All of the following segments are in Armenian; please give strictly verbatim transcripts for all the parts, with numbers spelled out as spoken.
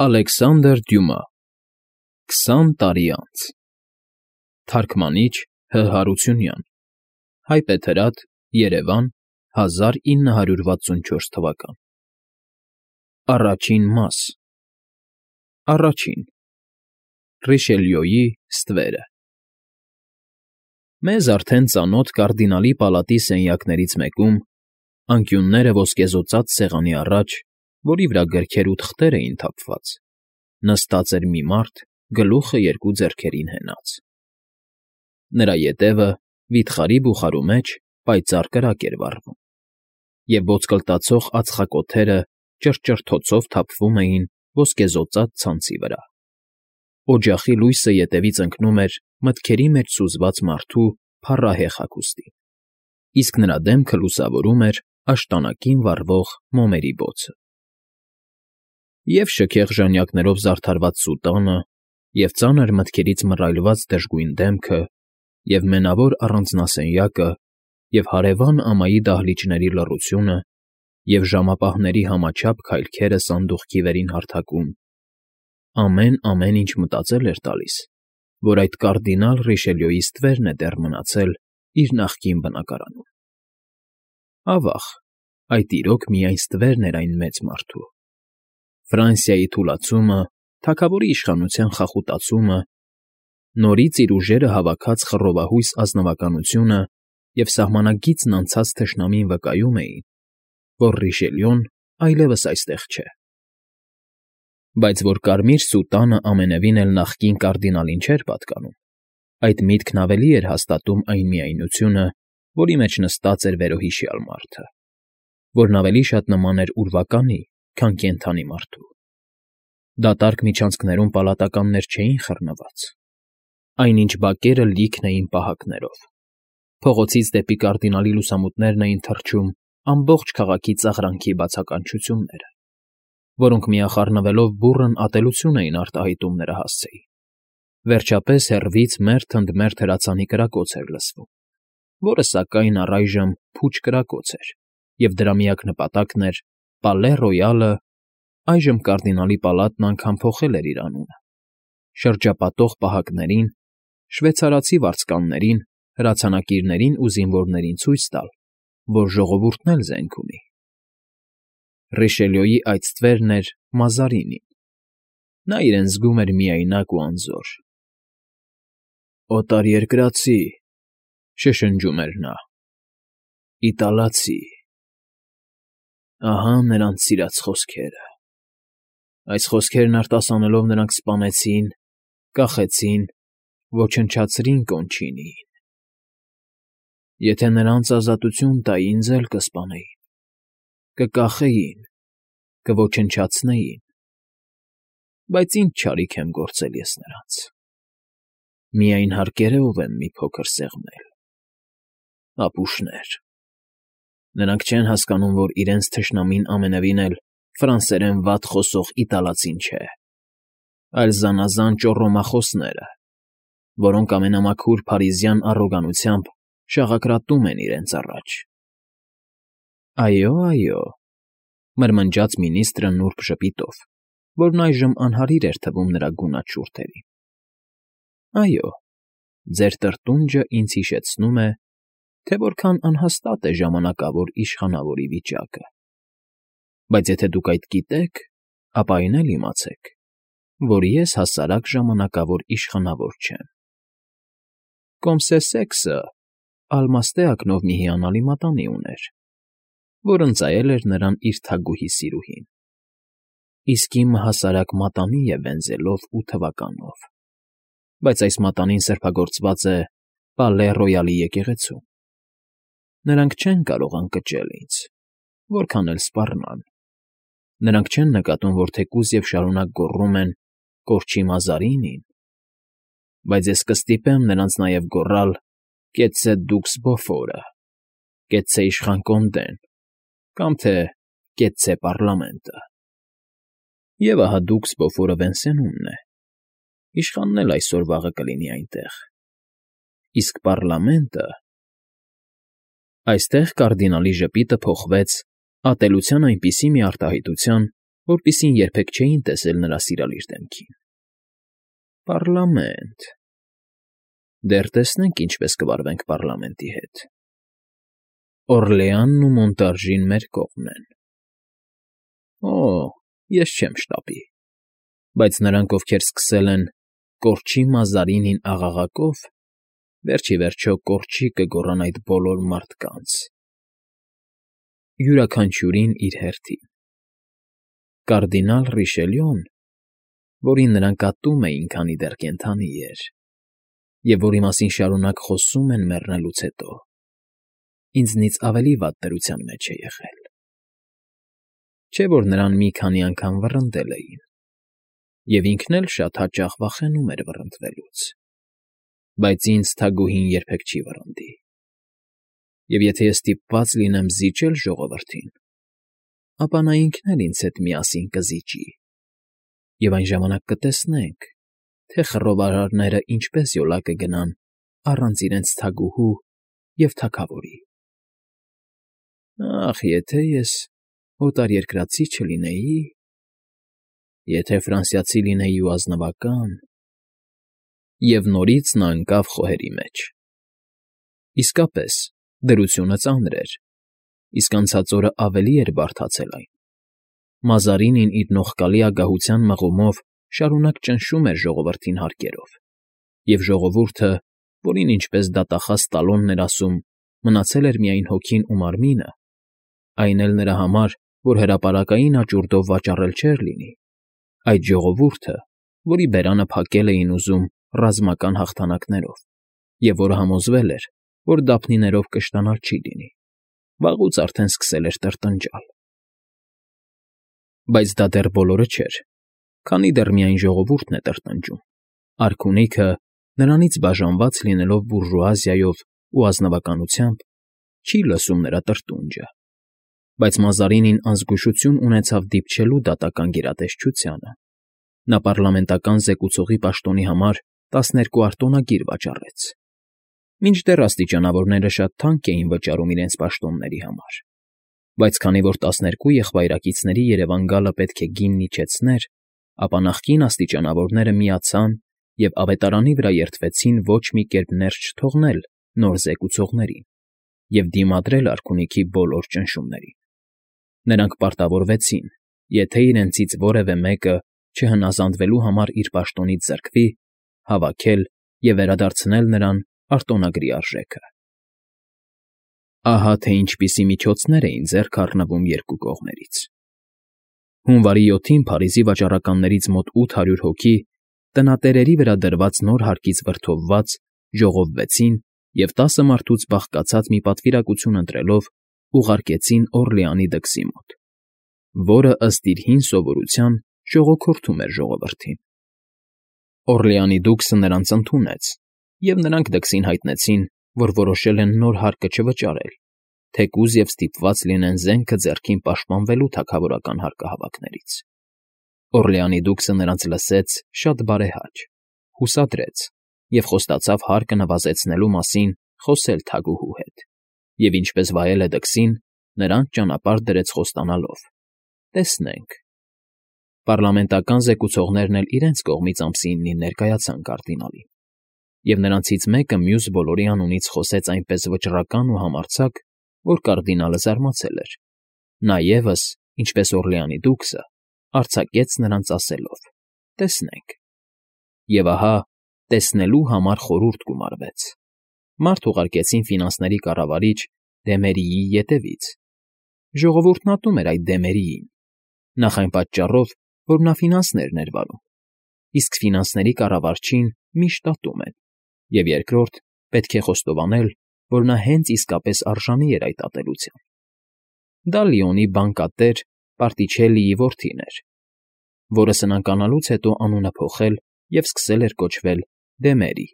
Ալեքսանդր Դյումա Քսան տարի անց Թարգմանիչ Հ. Հարությունյան Հայբեթերատ, Երևան, հազար ինը հարյուր վաթսունչորս թվական Առաջին մաս Առաջին Ռիշելյոյի ստվերը Մեզ արդեն ծանոթ կարդինալի պալատի սենյակներից մեկում, անկյունները ոսկեզօծած սեղանի առաջ, որի վրա գրքեր ու թղթեր էին թափված, նստած էր մի մարդ, գլուխը երկու ձեռքերին հենած. նրա ետևը, վիթխարի բուխարու մեջ, պայծառ կրակ էր վառվում, և ոսկլտացող ածխակոթերը ճռճռթոցով թափվում էին ոսկեզօծած ցանցի վրա. օջախի լույսը ետևից ընկնում էր մտքերի մեջ սուզված մարդու փառահեղ հագուստին, իսկ նրա դեմքը լուսավորում էր աշտանակին վառվող մոմերի բոցը. և շքեղ ժանյակներով զարդարված սուտանը, և ծանր մտքերից մռայլված դժգույն դեմքը, և մենավոր առանձնասենյակը, և հարևան ամայի դահլիճների լռությունը, և ժամապահների համաչափ քայլքերը սանդուղքի վերին հարթակում, ամեն֊ամեն ինչ մտածել էր տալիս, որ այդ կարդինալ Ռիշելյոյի ստվերն է դեռ մնացել իր նախկին բնակարանում. ավա՜ղ, այդ իրոք միայն ստվերն էր այն մեծ մարդու. Ֆրանսիայի թուլացումը, թագավորի իշխանության խախուտացումը, նորից իր ուժերը հավաքած խռովահույս ազնվականությունը և սահմանագիծն անցած թշնամին վկայում էին, որ Ռիշելյոն այլևս այստեղ չէ. բայց որ կարմիր սուտանը ամենևին էլ նախկին կարդինալին չէր պատկանում, այդ միտքն ավելի էր հաստատում այն միայնությունը, որի մեջ նստած էր վերոհիշյալ մարդը, որն ավելի շատ նման էր ուրվականի, քան կենդանի մարդու. դատարկ միջանցքներում պալատականներ չէին խռնված, այնինչ բակերը լիքն էին պահակներով, փողոցից դեպի կարդինալի լուսամուտներն էին թռչում ամբողջ քաղաքի ծաղրանքի բացականչությունները, որոնք միախառնվելով բուռն ատելություն էին արտահայտում նրա հասցեին. վերջապես հեռվից մերթ ընդ մերթ հրացանի կրակոց էր լսվում, որը, սակայն, առայժմ փուչ կրակոց էր, և դրա միակ նպատակն էր Պալե Ռոյալը (այժմ կարդինալի պալատն անգամ փոխել էր իր անունը) շրջապատող պահակներին, շվեյցարացի վարձկաններին, հրացանակիրներին ու զինվորներին ցույց տալ, որ ժողովուրդն էլ զենք ունի. Ռիշելյոյի այդ ստվերն էր Մազարինին. նա իրեն զգում էր միայնակ ու անզոր։ «Օտարերկրացի», շշնջում էր նա, «իտալացի»։ Ահա նրանց սիրած խոսքերը. այս խոսքերն արտասանելով նրանք սպանեցին, կախեցին, ոչնչացրին Կոնչինիին. եթե նրանց ազատություն տայի, ինձ էլ կսպանեին, կկախեին, կոչնչացնեին, բայց ինչ չարիք եմ գործել ես նրանց, միայն հարկերով եմ մի փոքր սեղմել, ապուշներ, նրանք չեն հասկանում, որ իրենց թշնամին ամենևին էլ ֆրանսերեն վատ խոսող իտալացին չէ, այլ զանազան ճոռոմախոսները, որոնք ամենամաքուր փարիզյան առոգանությամբ շաղակրատում են իրենց առաջ»։ «Այո, այո», մրմնջաց մինիստրը նուրբ ժպիտով, որն այժմ անհարիր էր թվում նրա գունատ շուրթերին. «այո, ձեր տրտունջը ինձ հիշեցնում է, թե որքան անհաստատ է ժամանակավոր իշխանավորի վիճակը, բայց եթե դուք այդ գիտեք, ապա այն էլ իմացեք, որ ես հասարակ ժամանակավոր իշխանավոր չեմ։ Կոմսեսեքսը ալմաստե ակնով մի հիանալի մատանի ուներ, որ ընծայել էր նրան իր թագուհի սիրուհին, իսկ իմը հասարակ մատանի է վենզելով ու թվականով, բայց այս մատանին սրբագործված է Պալե Ռոյալի եկեղեցում. նրանք չեն կարող ընկճել ինձ, որքան էլ սպառնան, նրանք չեն նկատում, որ թեկուզ և շարունակ գոռում են «Կորչի Մազարինին», բայց ես կստիպեմ նրանց նաև գոռալ «Կեցցե դուքս Բոֆորը», «Կեցցե իշխան Կոնդեն» կամ թե «Կեցցե պառլամենտը»։ Եվ ահա դուքս Բոֆորը Վենսենումն է, իշխանն էլ այսօր֊վաղը կլինի այնտեղ, իսկ պառլամենտը… Այստեղ կարդինալի ժպիտը փոխվեց ատելության այնպիսի մի արտահայտության, որպիսին երբեք չէին տեսել նրա սիրալիր դեմքին։ Պառլամենտ… Դեռ տեսնենք ինչպես կվարվենք պառլամենտի հետ։ Օռլեանն ու Մոնտարժին մեր կողմն են։ Օ, ես չեմ շտապի, բայց նրանք, ովքեր սկսել են «Կորչի Մազարինին աղաղակով», վերջ ի վերջո կորչի կգոռան այդ բոլոր մարդկանց։ Յուրաքանչյուրին իր հերթին։ Կարդինալ Ռիշելյուն, որին նրանք ատում էին, քանի դեռ կենդանի էր, և որի մասին շարունակ խոսում են մեռնելուց հետո, ինձնից ավելի վատ դրության մեջ է եղել։ Չէ՞ որ նրան մի քանի անգամ վռնդել էին, և ինքն էլ շատ հաճախ վախենում էր վռնդվելուց, բայց ինձ թագուհին երբեք չի վռնդի, և եթե ես ստիպված լինեմ զիջել ժողովրդին, ապա նա ինքն էլ ինձ հետ միասին կզիջի, և այն ժամանակ կտեսնենք, թե խռովարարները ինչպես յոլա կգնան առանց իրենց թագուհու և թագավորի։ Ախ, եթե ես օտարերկրացի չլինեի, եթե ֆրանսիացի լինեի ու ազնվական… Եվ նորից նա ընկավ խոհերի մեջ։ Իսկապես, դրությունը ծանր էր, իսկ անցած օրը ավելի էր բարդացել այն։ Մազարինին իր նողկալի ագահության մղումով շարունակ ճնշում էր ժողովրդին հարկերով, և ժողովուրդը, որին ինչպես դատախազ Տալոնն էր ասում, մնացել էր միայն հոգին ու մարմինը, այն էլ նրա համար, որ հրապարակային աճուրդով վաճառել չէր լինի, այդ ժողովուրդը, որի բերանը փակել էին ուզում ռազմական հաղթանակներով, և որը համոզվել էր, որ դափնիներով կշտանալ չի լինի, վաղուց արդեն սկսել էր տրտնջալ։ Բայց դա դեռ բոլորը չէր, քանի դեռ միայն ժողովուրդն է տրտնջում, արքունիքը, նրանից բաժանված լինելով բուրժուազիայով ու ազնվականությամբ, չի լսում նրա տրտունջը, բայց Մազարինին անզգուշություն ունեցավ դիպչելու դատական գերատեսչությանը։ Նա պառլամենտական զեկուցողի պաշտոնի համար տասներկու արտոնագիր վաճառեց։ Մինչդեռ աստիճանավորները շատ թանկ էին վճարում իրենց պաշտոնների համար, բայց քանի որ տասներկու եղբայրակիցների երևան գալը պետք է գինն իջեցներ, ապա նախկին աստիճանավորները միացան և ավետարանի վրա երդվեցին ոչ մի կերպ ներս չթողնել նոր զեկուցողներին և դիմադրել արքունիքի բոլոր ճնշումներին։ Նրանք պարտավորվեցին, եթե իրենցից որևէ մեկը չհնազանդվելու համար իր պաշտոնից զրկվի, հավաքել և վերադարձնել նրան արտոնագրի արժեքը։ Ահա թե ինչպիսի միջոցներ էին ձեռք առնվում երկու կողմերից։ Հունվարի յոթին Փարիզի վաճառականներից մոտ ութ հարյուր հոգի, տնատերերի վրա դրված նոր հարկից վրդովված, ժողովվեցին և տասը մարդուց բաղկացած մի պատվիրակություն ընտրելով ուղարկեցին Օռլեանի դքսի մոտ, որը, ըստ իր հին սովորության, ժողոքորթում էր ժողովրդին։ Օռլեանի դուքսը նրանց ընդունեց, և նրանք դքսին հայտնեցին, որ որոշել են նոր հարկը չվճարել, թեկուզ և ստիպված լինեն զենքը ձեռքին պաշտպանվելու թագավորական հարկահավաքներից։ Օռլեանի դուքսը նրանց լսեց շատ բարեհաճ, հուսադրեց և խոստացավ հարկը նվազեցնելու մասին խոսել թագուհու հետ, և ինչպես վայել է դքսին, նրանց ճանապարհ դրեց խոստանալով. «Տեսնենք»։ Պառլամենտական զեկուցողներն էլ իրենց կողմից ամսինին ներկայացան կարդինալին, և նրանցից մեկը մյուս բոլորի անունից խոսեց այնպես վճռական ու համարձակ, որ կարդինալը զարմացել էր։ Նա ևս, ինչպես Օռլեանի դուքսը, արձակեց նրանց ասելով. «Տեսնենք»։ Եվ ահա, տեսնելու համար խորհուրդ գումարվեց։ Մարդ ուղարկեցին ֆինանսների կառավարիչ Դեմերիի ետևից։ Ժողովուրդն ատում էր այդ Դեմերիին, նախ այն պատճառով, որ նա ֆինանսներն էր վարում, իսկ ֆինանսների կառավարչին միշտ ատում են, և երկրորդ, պետք է խոստովանել, որ նա հենց իսկապես արժանի էր այդ ատելության։ Դա Լիոնի բանկատեր Պարտիչելլիի որդին էր, որը սնանկանալուց հետո անունը փոխել և սկսել էր կոչվել Դեմերի։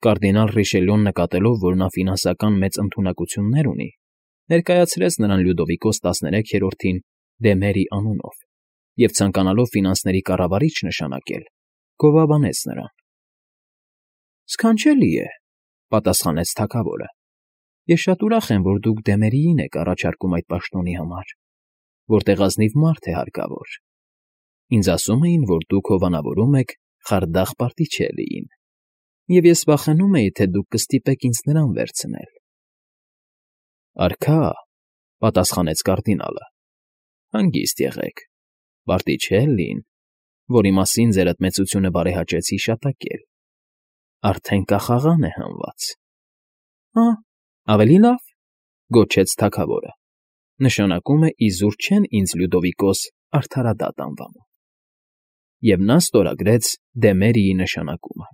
Կարդինալ Ռիշելյուն նկատելով, որ նա ֆինանսական մեծ ընդունակություններ ունի, ներկայացրեց նրան Լյուդովիկոս տասներեքերորդին Դեմերի անունով և ցանկանալով ֆինանսների կառավարիչ նշանակել, գովաբանեց նրան։ «Սքանչելի է,֊ պատասխանեց թագավորը,֊ ես շատ ուրախ եմ, որ դուք Դեմերիին եք առաջարկում այդ պաշտոնի համար, որտեղ ազնիվ մարդ է հարկավոր։ Ինձ ասում էին, որ դուք հովանավորում եք Խարդախ Պարտիչելիին, և ես վախենում էի, թե դուք կստիպեք ինձ նրան վերցնել։ Արքա, պատասխանեց կարդինալը, հանգիստ եղեք, Պարտիչելլին, որի մասին ձերդ մեծությունը բարեհաճեց հիշատակել, արդեն կախաղան է հանված։ Հա, ավելի լավ, գոչեց թագավորը, նշանակում է իզուր չեն ինձ Լյուդովիկոս արդարադատ անվանում։ Եվ նա ստորագրեց Դեմերիի նշանակումը։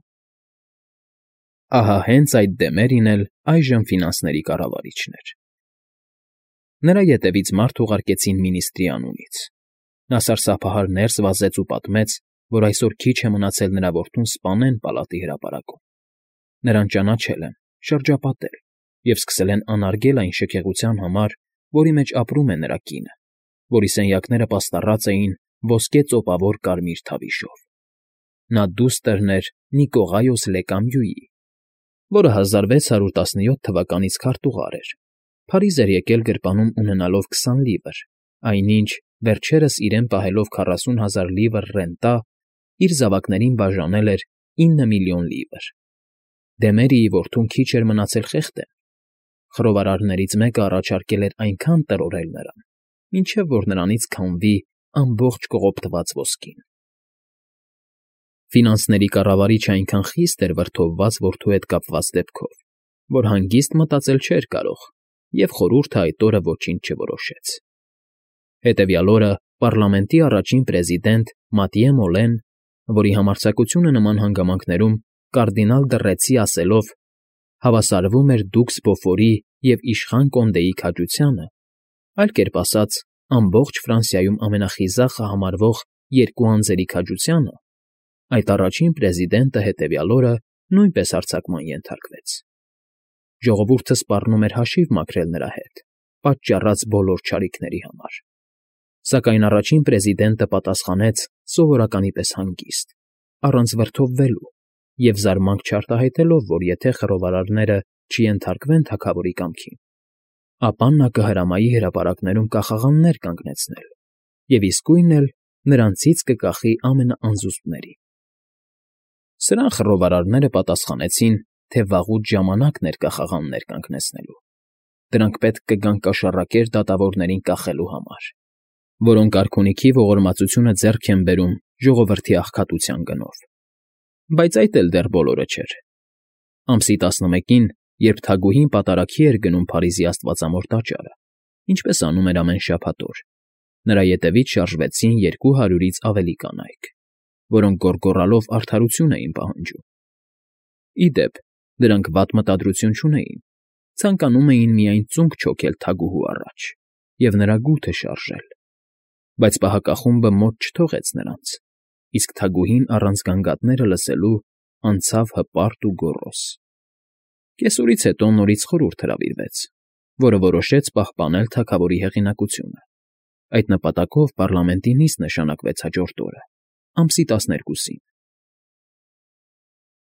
Ահա հենց այդ Դեմերին էլ այժմ ֆինանսների կառավարիչն էր։ Նրա ետևից մարդ ուղարկեցին մինիստրի անունից։ Նա սարսափահար ներս վազեց ու պատմեց, որ այսօր քիչ է մնացել նրա որդուն սպանեն պալատի հրապարակում։ Նրան ճանաչել են, շրջապատել և սկսել են անարգել այն շքեղության համար, որի մեջ ապրում է նրա կինը, որի սենյակները պաստառած էին ոսկե ծոպավոր կարմիր թավիշով։ Նա դուստրն էր Նիկողայոս Լեկամյուի, որը հազար վեց հարյուր տասնյոթ թվականից քարտուղար էր, Փարիզ էր եկել գրպանում ունենալով քսան լիվր, այնինչ, վերջերս իրեն պահելով քառասուն հազար լիվր ռենտա, իր զավակներին բաժանել էր ինը միլիոն լիվր։ Դեմերիի որդուն քիչ էր մնացել խեղդեն։ Խռովարարներից մեկը առաջարկել էր այնքան տրորել նրան, մինչև որ նրանից քամվի ամբողջ կողոպտված ոսկին։ Ֆինանսների կառավարիչը այնքան խիստ էր վրդովված որդու հետ կապված դեպքով, որ հանգիստ մտածել չէր կարող, և խորհուրդը այդ օրը ոչինչ չորոշեց։ Հետևյալ օրը պառլամենտի առաջին պրեզիդենտ Մատիե Մոլեն, որի համարձակությունը նման հանգամանքներում կարդինալ Դռեցի ասելով հավասարվում էր դուքս Բոֆորի և իշխան Կոնդեի քաջությանը, այլ կերպ ասած, ամբողջ Ֆրանսիայում ամենախիզախը համարվող երկու անձերի քաջությանը, այդ առաջին պրեզիդենտը հետևյալ օրը նույնպես հարձակման ենթարկվեց։ Ժողովուրդը սպառնում էր հաշիվ մաքրել նրա հետ, պատճառած բոլոր չարիքների համար։ Սակայն առաջին պրեզիդենտը պատասխանեց սովորականի պես հանգիստ, առանց վրդովվելու և զարմանք չարտահայտելով, որ եթե խռովարարները չենթարկվեն թագավորի կամքին, ապա նա կհրամայի հրապարակներում կախաղաններ կանգնեցնել և իսկույն էլ նրանցից կկախի ամենաանզուսպներին։ Սրան խռովարարները պատասխանեցին, թե վաղուց ժամանակն էր կախաղաններ կանգնեցնելու։ Դրանք պետք կգան կաշառակեր դատավորներին կախելու համար, որոնք արքունիքի ողորմածությունը ձեռք են բերում ժողովրդի աղքատության գնով։ Բայց այդ էլ դեռ բոլորը չէր։ Ամսի տասնմեկին, երբ թագուհին պատարագի էր գնում Փարիզի Աստվածամոր տաճարը, ինչպես անում էր ամեն շաբաթ օր, նրա ետևից շարժվեցին երկու հարյուրից ավելի կանայք, որոնք գոռգոռալով արդարություն էին պահանջում։ Ի դեպ, դրանք վատ մտադրություն չունեին, ցանկանում էին միայն ծունկ չոքել թագուհու առաջ և նրա գութը շարժել, բայց պահակախումբը մոտ չթողեց նրանց, իսկ թագուհին առանց գանգատները լսելու անցավ հպարտ ու գոռոզ։ Կեսօրից հետո նորից խորհուրդ հրավիրվեց, որը որոշեց պահպանել թագավորի հեղինակությունը։ Այդ նպատակով պառլամենտի նիստ նշանակվեց հաջորդ օրը, ամսի տասներկուսին։